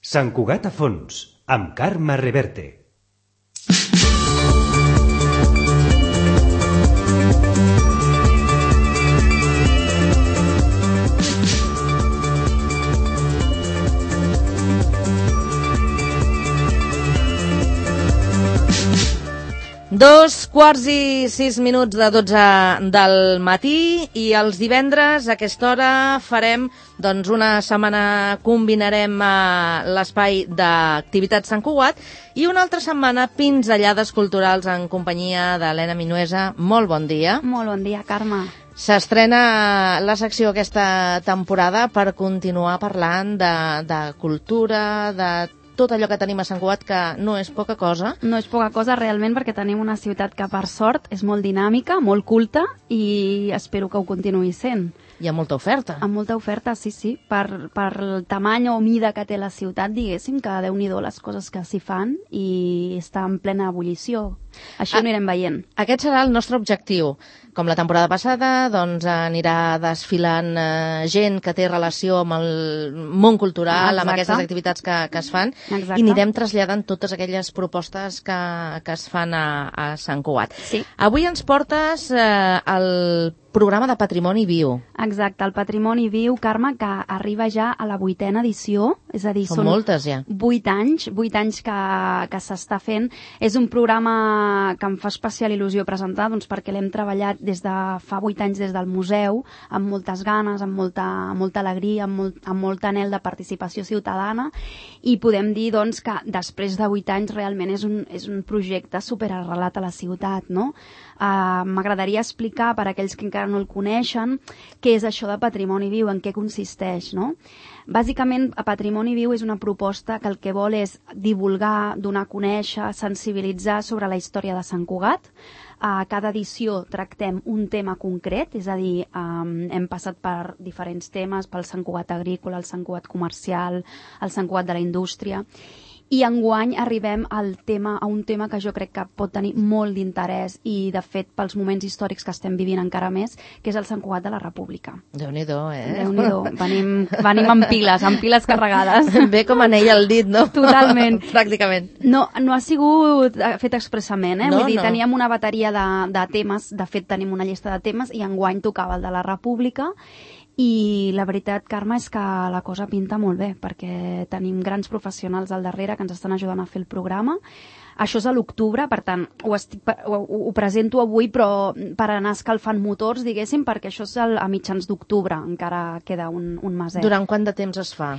Sant Cugat a fons, amb Carme Reverte. Dos quarts i 6 minuts de 12 del matí i els divendres a aquesta hora farem, doncs una setmana combinarem l'espai d'activitats Sant Cugat i una altra setmana pinzellades culturals en companyia d'Helena Minuesa. Molt bon dia. Molt bon dia, Carme. S'estrena la secció aquesta temporada per continuar parlant de cultura, de tot allò que tenim a Sant Cugat, que no és poca cosa. No és poca cosa realment, perquè tenim una ciutat que, per sort, és molt dinàmica, molt culta, i espero que ho continuï sent. Hi ha molta oferta. Amb molta oferta, sí. Per el tamany o mida que té la ciutat, diguéssim, que Déu-n'hi-do les coses que s'hi fan i està en plena ebullició. Això ho anirem veient. Aquest serà el nostre objectiu. Com la temporada passada, doncs anirà desfilant gent que té relació amb el món cultural, amb aquestes activitats que es fan, i anirem traslladant totes aquelles propostes que es fan a Sant Cugat. Sí. Avui ens portes el programa de Patrimoni Viu. Exacte, el Patrimoni Viu, Carme, que arriba ja a la 8ª edició, és a dir, són moltes ja. 8 anys que s'està fent. És un programa que em fa especial il·lusió presentar, doncs perquè l'hem treballat des de fa 8 anys des del museu, amb moltes ganes, amb molta alegria, amb molt anhel de participació ciutadana, i podem dir doncs, que després de 8 anys realment és un projecte superarrelat a la ciutat, no? M'agradaria explicar, per a aquells que encara no el coneixen, què és això de Patrimoni Viu, en què consisteix, no? Bàsicament, Patrimoni Viu és una proposta que el que vol és divulgar, donar a conèixer, sensibilitzar sobre la història de Sant Cugat. A cada edició tractem un tema concret, és a dir, hem passat per diferents temes, pel Sant Cugat agrícola, el Sant Cugat comercial, el Sant Cugat de la indústria, i enguany arribem a un tema que jo crec que pot tenir molt d'interès i, de fet, pels moments històrics que estem vivint encara més, que és el Sant Cugat de la República. Déu-n'hi-do, Déu-n'hi-do. Venim amb piles carregades. Ve com anell al dit, no? Totalment. Pràcticament. No ha sigut fet expressament, No, vull dir, no. teníem una bateria de temes, de fet tenim una llista de temes, i enguany tocava el de la República. I la veritat, Carme, és que la cosa pinta molt bé, perquè tenim grans professionals al darrere que ens estan ajudant a fer el programa. Això és a l'octubre, per tant, ho presento avui, però per anar escalfant motors, diguéssim, perquè això és a mitjans d'octubre, encara queda un meset. Durant quant de temps es fa?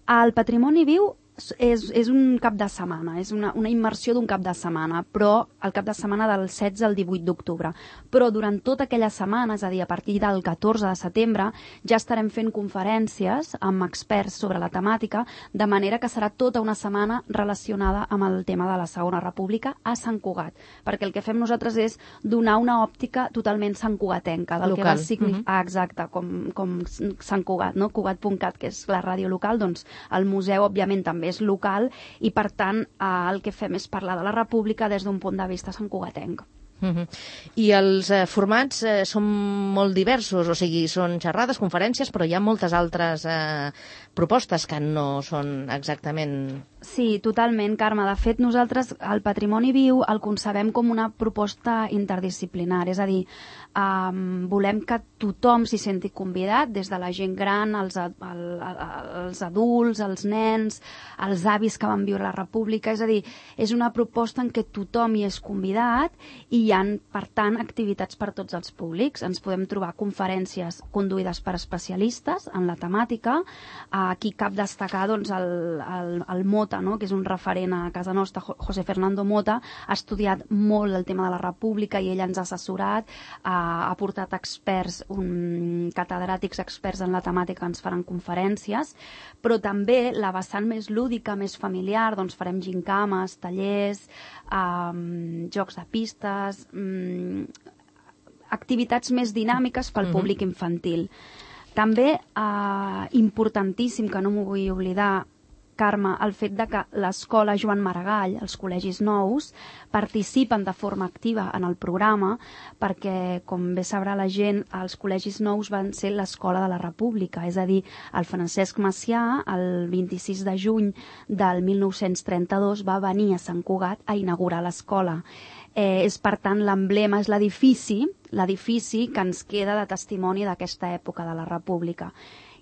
El Patrimoni Viu és un cap de setmana, és una immersió d'un cap de setmana, però el cap de setmana del 16 al 18 d'octubre. Però durant tota aquella setmana, és a dir, a partir del 14 de setembre, ja estarem fent conferències amb experts sobre la temàtica, de manera que serà tota una setmana relacionada amb el tema de la Segona República a Sant Cugat, perquè el que fem nosaltres és donar una òptica totalment santcugatenca, del que va significar, exacte, com Sant Cugat, no? Cugat.cat, que és la ràdio local, doncs el museu, òbviament, també és local, i per tant el que fem és parlar de la República des d'un punt de vista santcugatenc. I els formats són molt diversos, o sigui, són xerrades, conferències, però hi ha moltes altres propostes que no són exactament... Sí, totalment, Carme. De fet, nosaltres el Patrimoni Viu el concebem com una proposta interdisciplinar, és a dir, volem que tothom s'hi senti convidat, des de la gent gran, els adults, els nens, els avis que van viure la República, és a dir, és una proposta en què tothom hi és convidat i hi ha, per tant, activitats per tots els públics. Ens podem trobar conferències conduïdes per especialistes en la temàtica. Aquí cap destacar doncs, el Mota, no? Que és un referent a casa nostra, José Fernando Mota, ha estudiat molt el tema de la República i ell ens ha assessorat, ha portat experts, catedràtics experts en la temàtica, ens faran conferències, però també la vessant més lúdica, més familiar, doncs farem gincames, tallers, jocs de pistes, activitats més dinàmiques pel públic infantil. També, importantíssim, que no m'ho vull oblidar, Carme, el fet de que l'escola Joan Maragall, els col·legis nous, participen de forma activa en el programa perquè, com bé sabrà la gent, els col·legis nous van ser l'escola de la República, és a dir, el Francesc Macià, el 26 de juny del 1932, va venir a Sant Cugat a inaugurar l'escola. És, per tant, l'emblema, és l'edifici que ens queda de testimoni d'aquesta època de la República.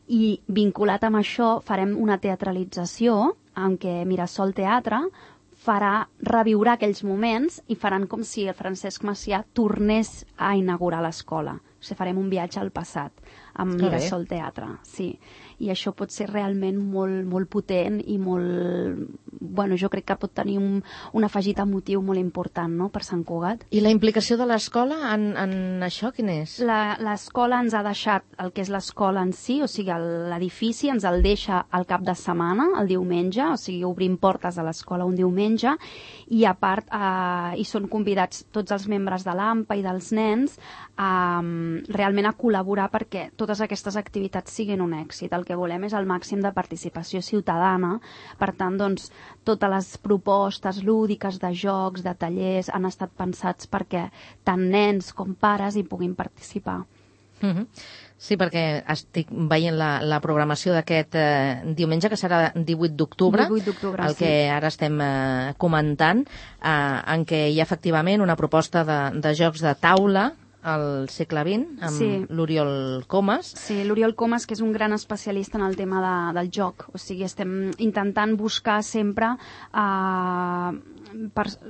I vinculat amb això farem una teatralització en què Mirasol Teatre farà reviure aquells moments i faran com si el Francesc Macià tornés a inaugurar l'escola. O sigui, farem un viatge al passat amb Mirasol Teatre, sí. I això pot ser realment molt, molt potent i molt... Bueno, jo crec que pot tenir un afegit emotiu molt important, no?, per Sant Cugat. I la implicació de l'escola en això, quin és? L'escola ens ha deixat el que és l'escola en si, o sigui, l'edifici ens el deixa al cap de setmana, el diumenge, o sigui, obrim portes a l'escola un diumenge, i a part hi són convidats tots els membres de l'AMPA i dels nens realment a col·laborar perquè totes aquestes activitats siguin un èxit. El que volem és el màxim de participació ciutadana. Per tant, doncs, totes les propostes lúdiques de jocs, de tallers, han estat pensats perquè tant nens com pares hi puguin participar. Sí, perquè estic veient la programació d'aquest diumenge, que serà 18 d'octubre, el que ara estem comentant, en què hi ha efectivament una proposta de jocs de taula al segle XX, amb l'Oriol Comas. Sí, l'Oriol Comas, que és un gran especialista en el tema del joc. O sigui, estem intentant buscar sempre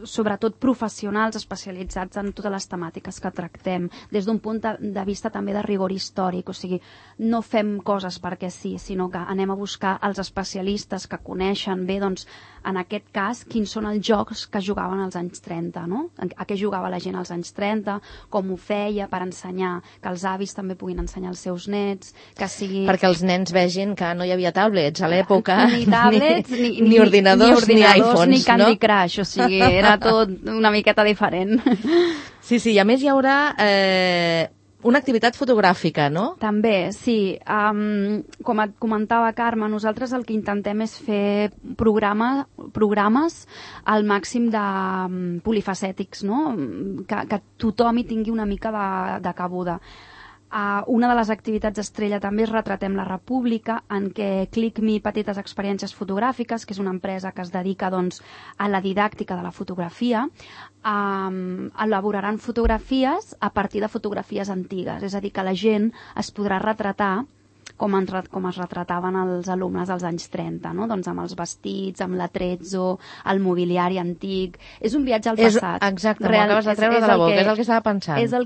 sobretot professionals especialitzats en totes les temàtiques que tractem, des d'un punt de vista també de rigor històric. O sigui, no fem coses perquè sí, sinó que anem a buscar els especialistes que coneixen bé, doncs, en aquest cas, quins són els jocs que jugaven als anys 30, no? A què jugava la gent als anys 30, com ho feia, per ensenyar, que els avis també puguin ensenyar als seus nets, que sigui... Perquè els nens vegin que no hi havia tablets a l'època, ni tablets, ni ordinadors, ni iPhones, ni Candy Crush, o sigui, era tot una miqueta diferent. Sí, i a més hi haurà una activitat fotogràfica, no? També, sí. Com et comentava, Carme, nosaltres el que intentem és fer programes al màxim de polifacètics, no? Que tothom hi tingui una mica de cabuda. Una de les activitats estrella també és Retratem la República, en què ClickMe Petites Experiències Fotogràfiques, que és una empresa que es dedica, doncs, a la didàctica de la fotografia, elaboraran fotografies a partir de fotografies antigues, és a dir, que la gent es podrà retratar com es retrataven els alumnes als anys 30, no? Doncs amb els vestits, amb l'atrezzo, el mobiliari antic... És un viatge al passat. Exacte, m'ho acabes de treure de la boca, és el que estava pensant. És el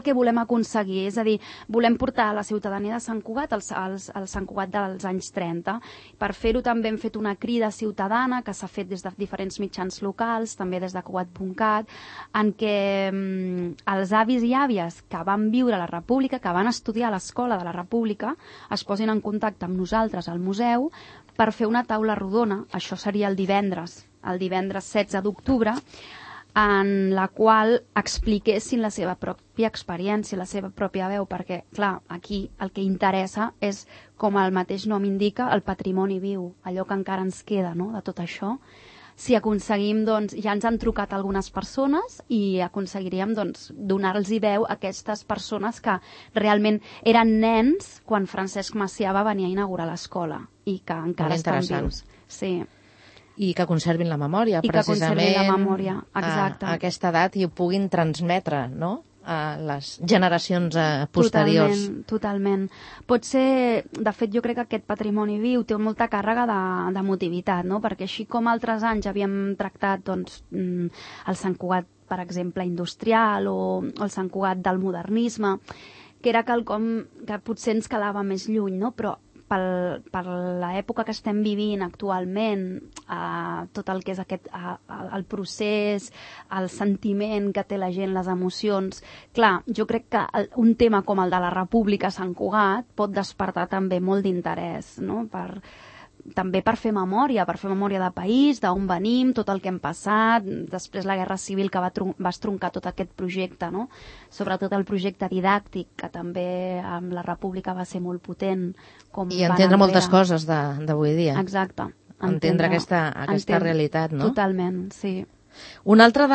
que volem aconseguir, és a dir, volem portar a la ciutadania de Sant Cugat al Sant Cugat dels anys 30. Per fer-ho també hem fet una crida ciutadana que s'ha fet des de diferents mitjans locals, també des de Cugat.cat, en què els avis i àvies que van viure a la República, que van estudiar a l'escola de la República, es posin en contacte amb nosaltres al museu per fer una taula rodona, això seria el divendres 16 d'octubre, en la qual expliquessin la seva pròpia experiència, la seva pròpia veu, perquè, clar, aquí el que interessa és, com el mateix nom indica, el patrimoni viu, allò que encara ens queda, no?, de tot això. Si aconseguim, doncs, ja ens han trucat algunes persones i aconseguiríem, doncs, donar-los veu a aquestes persones que realment eren nens quan Francesc Macià va venir a inaugurar l'escola i que encara estan vius. Sí. I que conservin la memòria, precisament. I que conservin la memòria, exacte. A aquesta edat i ho puguin transmetre, no?, a les generacions posteriors. Totalment. Pot ser, de fet, jo crec que aquest patrimoni viu té molta càrrega d'emotivitat, no? Perquè així com altres anys havíem tractat, doncs, el Sant Cugat, per exemple, industrial o el Sant Cugat del modernisme, que era quelcom que potser ens quedava més lluny, no? Però per l'època que estem vivint actualment, tot el que és el procés, el sentiment que té la gent, les emocions, clar, jo crec que un tema com el de la República a Sant Cugat pot despertar també molt d'interès, no?, també per fer memòria de país, d'on venim, tot el que hem passat, després la Guerra Civil que va estroncar tot aquest projecte, no? Sobretot el projecte didàctic, que també amb la República va ser molt potent. I entendre moltes coses d'avui dia. Exacte. Entendre aquesta realitat, no? Totalment, sí. Una altra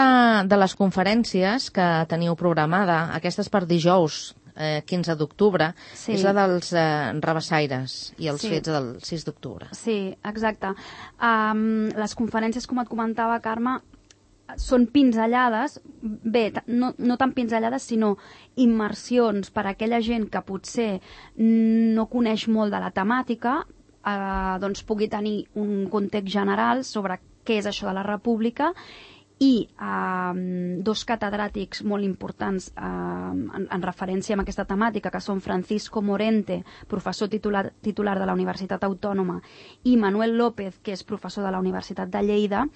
de les conferències que teniu programada, aquesta és per dijous, 15 d'octubre, és la dels rabassaires i els fets del 6 d'octubre. Sí, exacte. Les conferències, com et comentava, Carme, són pinzellades, bé, no tan pinzellades, sinó immersions per a aquella gent que potser no coneix molt de la temàtica, doncs pugui tenir un context general sobre què és això de la República, i dos catedràtics molt importants en referència amb aquesta temàtica, que són Francisco Morente, professor titular de la Universitat Autònoma, i Manuel López, que és professor de la Universitat de Lleida,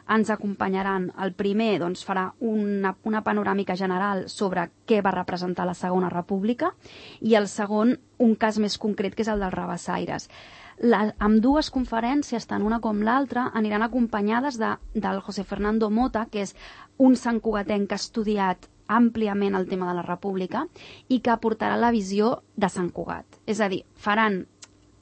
ens acompanyaran. El primer doncs, farà una panoràmica general sobre què va representar la Segona República, i el segon un cas més concret, que és el dels rabassaires. Amb dues conferències, tant una com l'altra, aniran acompanyades del José Fernando Mota, que és un santcugatenc que ha estudiat àmpliament el tema de la República i que aportarà la visió de Sant Cugat. És a dir, faran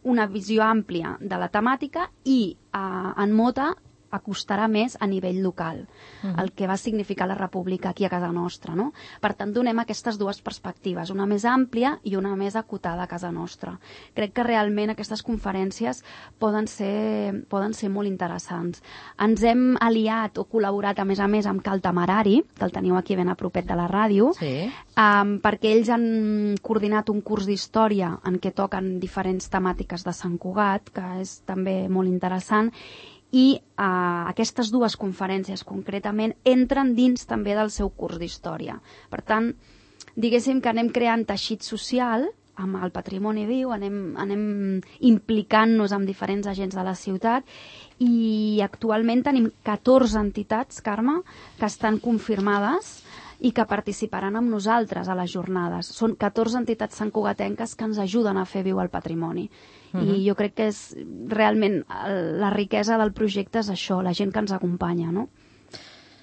una visió àmplia de la temàtica i en Mota acostarà més a nivell local, el que va significar la República aquí a casa nostra, no? Per tant, donem aquestes dues perspectives, una més àmplia i una més acotada a casa nostra. Crec que realment aquestes conferències poden ser molt interessants. Ens hem aliat o col·laborat, a més, amb Cal Temerari, que el teniu aquí ben a propet de la ràdio, perquè ells han coordinat un curs d'història en què toquen diferents temàtiques de Sant Cugat, que és també molt interessant, i aquestes dues conferències concretament entren dins també del seu curs d'història. Per tant, diguéssim que anem creant teixit social amb el patrimoni viu, anem implicant-nos amb diferents agents de la ciutat, i actualment tenim 14 entitats, Carme, que estan confirmades i que participaran amb nosaltres a les jornades. Són 14 entitats santcugatenques que ens ajuden a fer viu el patrimoni. I jo crec que és realment la riquesa del projecte és això, la gent que ens acompanya, no?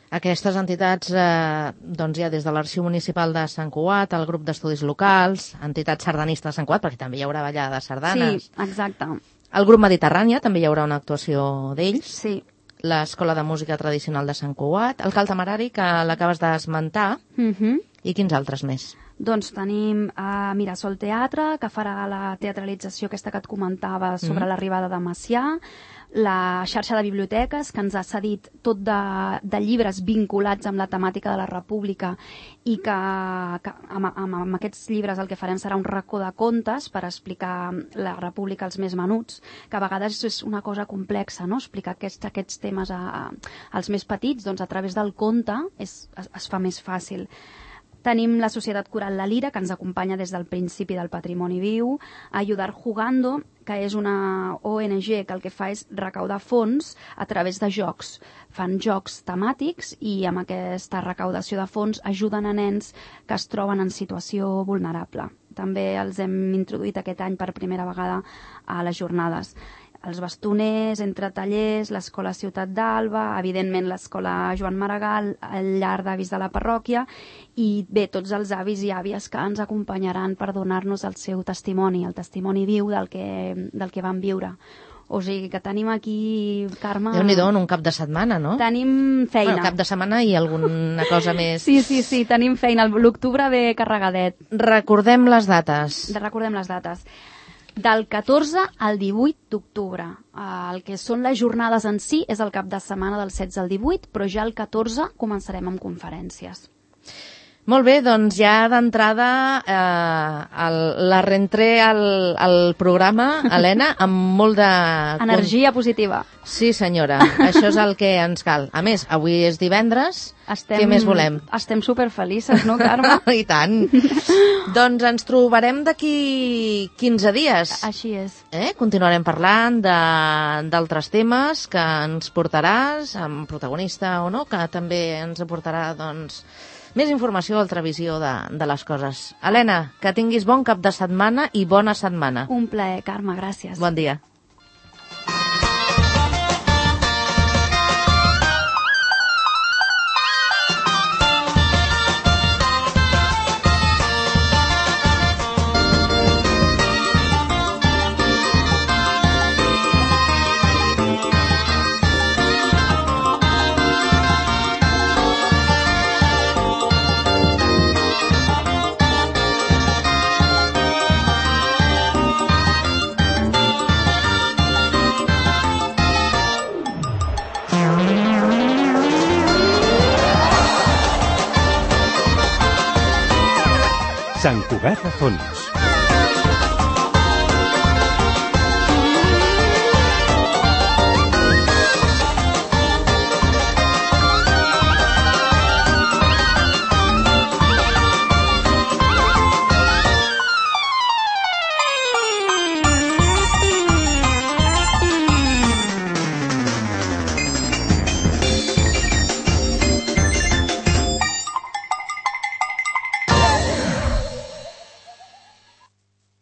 Aquestes entitats, doncs hi ha des de l'Arxiu Municipal de Sant Cugat, el grup d'estudis locals, entitats sardanistes de Sant Cugat, perquè també hi haurà ballada de sardanes. Sí, exacte. El grup Mediterrània, també hi haurà una actuació d'ells. Sí. L'Escola de Música Tradicional de Sant Cugat, el Cal Temerari, que l'acabes d'esmentar, i quins altres més? Doncs tenim Mirasol Teatre, que farà la teatralització aquesta que et comentava sobre l'arribada de Macià, la xarxa de biblioteques, que ens ha cedit tot de llibres vinculats amb la temàtica de la República, i que amb aquests llibres el que farem serà un racó de contes per explicar la República als més menuts, que a vegades és una cosa complexa, no? Explicar aquests temes als més petits, doncs a través del conte es fa més fàcil. Tenim la Societat Coral La Lira, que ens acompanya des del principi del patrimoni viu, Ayudar Jugando, que és una ONG que el que fa és recaudar fons a través de jocs. Fan jocs temàtics i amb aquesta recaudació de fons ajuden a nens que es troben en situació vulnerable. També els hem introduït aquest any per primera vegada a les jornades. Els Bastoners, Entre Tallers, l'Escola Ciutat d'Alba, evidentment l'Escola Joan Maragall, el llar d'avis de la parròquia, i bé, tots els avis i àvies que ens acompanyaran per donar-nos el seu testimoni, el testimoni viu del que van viure. O sigui que tenim aquí, Carme... Déu-n'hi-do, en un cap de setmana, no? Tenim feina. Bueno, cap de setmana i alguna cosa més... Sí, tenim feina. L'octubre ve carregadet. Recordem les dates. Recordem les dates. Del 14 al 18 d'octubre. El que són les jornades en si és el cap de setmana del 16 al 18, però ja el 14 començarem amb conferències. Molt bé, doncs ja d'entrada la reentré al programa, Helena, amb molt de... Energia positiva. Sí, senyora, això és el que ens cal. A més, avui és divendres, què més volem? Estem superfelices, no, Carme? I tant. Doncs ens trobarem d'aquí 15 dies. Així és. Continuarem parlant d'altres temes que ens portaràs, amb protagonista o no, que també ens aportarà, doncs, més informació o altra visió de les coses. Helena, que tinguis bon cap de setmana i bona setmana. Un plaer, Carme, gràcies. Bon dia. Sant Cugat de Fons.